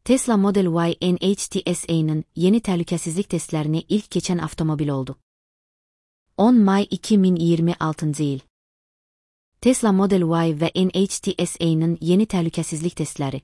Tesla Model Y NHTSA'nın yeni təhlükəsizlik testlərini ilk keçən avtomobil oldu. 10 may 2026 il. Tesla Model Y və NHTSA'nın yeni təhlükəsizlik testləri.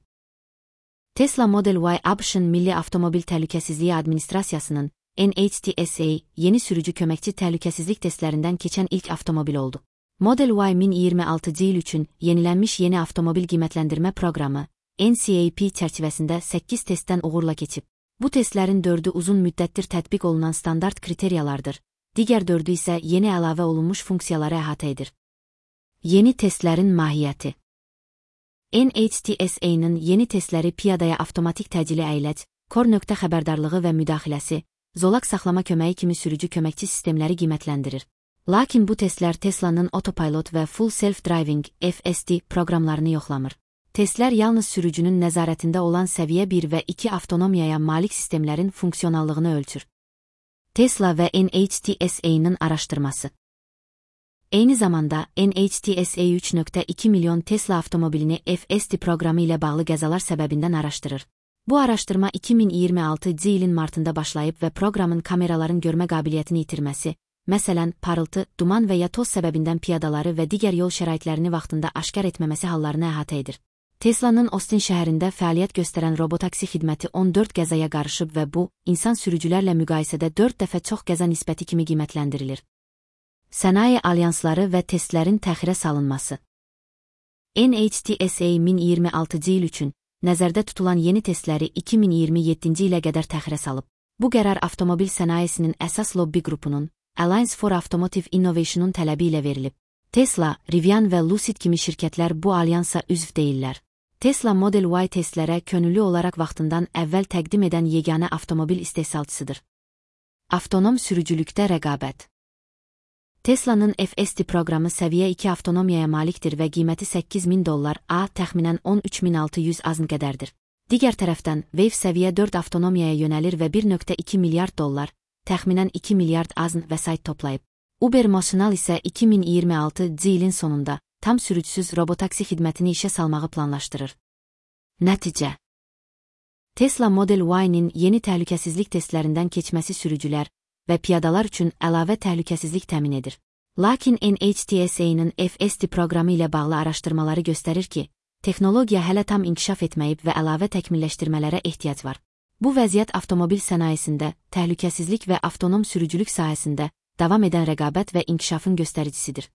Tesla Model Y ABŞ-ın Milli Avtomobil Təhlükəsizliyi Administrasiyasının NHTSA yeni sürücü köməkçi təhlükəsizlik testlərindən keçən ilk avtomobil oldu. Model Y 2026 il üçün yenilənmiş yeni avtomobil qiymətləndirmə proqramı NCAP çərçivəsində 8 testdən uğurla keçib. Bu testlərin 4-ü uzun müddətdir tətbiq olunan standart kriteriyalardır, digər 4-ü isə yeni əlavə olunmuş funksiyaları əhatə edir. Yeni testlərin mahiyyəti. NHTSA-nın yeni testləri piyadaya avtomatik təcili əyləc, kor nöqtə xəbərdarlığı və müdaxiləsi, zolaq saxlama köməyi kimi sürücü köməkçi sistemləri qiymətləndirir. Lakin bu testlər Tesla'nın Autopilot və Full Self-Driving (FSD) proqramlarını yoxlamır. Testlər yalnız sürücünün nəzarətində olan səviyyə 1 və 2 avtonomiyaya malik sistemlərin funksionallığını ölçür. Tesla və NHTSA-nın araşdırması. Eyni zamanda NHTSA 3.2 milyon Tesla avtomobilini FSD proqramı ilə bağlı qəzalar səbəbindən araşdırır. Bu araşdırma 2026 ilin martında başlayıb və proqramın kameraların görmə qabiliyyətini itirməsi, məsələn, parıltı, duman və ya toz səbəbindən piyadaları və digər yol şəraitlərini vaxtında aşkar etməməsi hallarını əhatə edir. Tesla'nın Austin şəhərində fəaliyyət göstərən robotaksi xidməti 14 qəzaya qarışıb və bu, insan sürücülərlə müqayisədə 4 dəfə çox qəza nisbəti kimi qiymətləndirilir. Sənaye alyansları və testlərin təxirə salınması. NHTSA 2026 il üçün nəzərdə tutulan yeni testləri 2027 ilə qədər təxirə salıb. Bu qərar avtomobil sənayesinin əsas lobbi qrupunun, Alliance for Automotive Innovation-un tələbi ilə verilib. Tesla, Rivian və Lucid kimi şirkətlər bu alyansa üzv deyillər. Tesla Model Y testlərə könüllü olaraq vaxtından əvvəl təqdim edən yeganə avtomobil istehsalçısıdır. Avtonom sürücülükdə rəqabət. Tesla'nın FSD proqramı səviyyə 2 avtonomiyaya malikdir və qiyməti $8.000 təxminən 13.600 azn qədərdir. Digər tərəfdən, Wave səviyyə 4 avtonomiyaya yönəlir və $1.2 milyard, təxminən 2 milyard azn vəsait toplayıb. Uber Motional isə 2026 ilin sonunda tam sürücüsüz robotaksi xidmətini işə salmağı planlaşdırır. Nəticə. Tesla Model Y-nin yeni təhlükəsizlik testlərindən keçməsi sürücülər və piyadalar üçün əlavə təhlükəsizlik təmin edir. Lakin NHTSA-nın FSD proqramı ilə bağlı araşdırmaları göstərir ki, texnologiya hələ tam inkişaf etməyib və əlavə təkmilləşdirmələrə ehtiyac var. Bu vəziyyət avtomobil sənayesində, təhlükəsizlik və avtonom sürücülük sahəsində davam edən rəqabət və inkişafın göstəricisidir.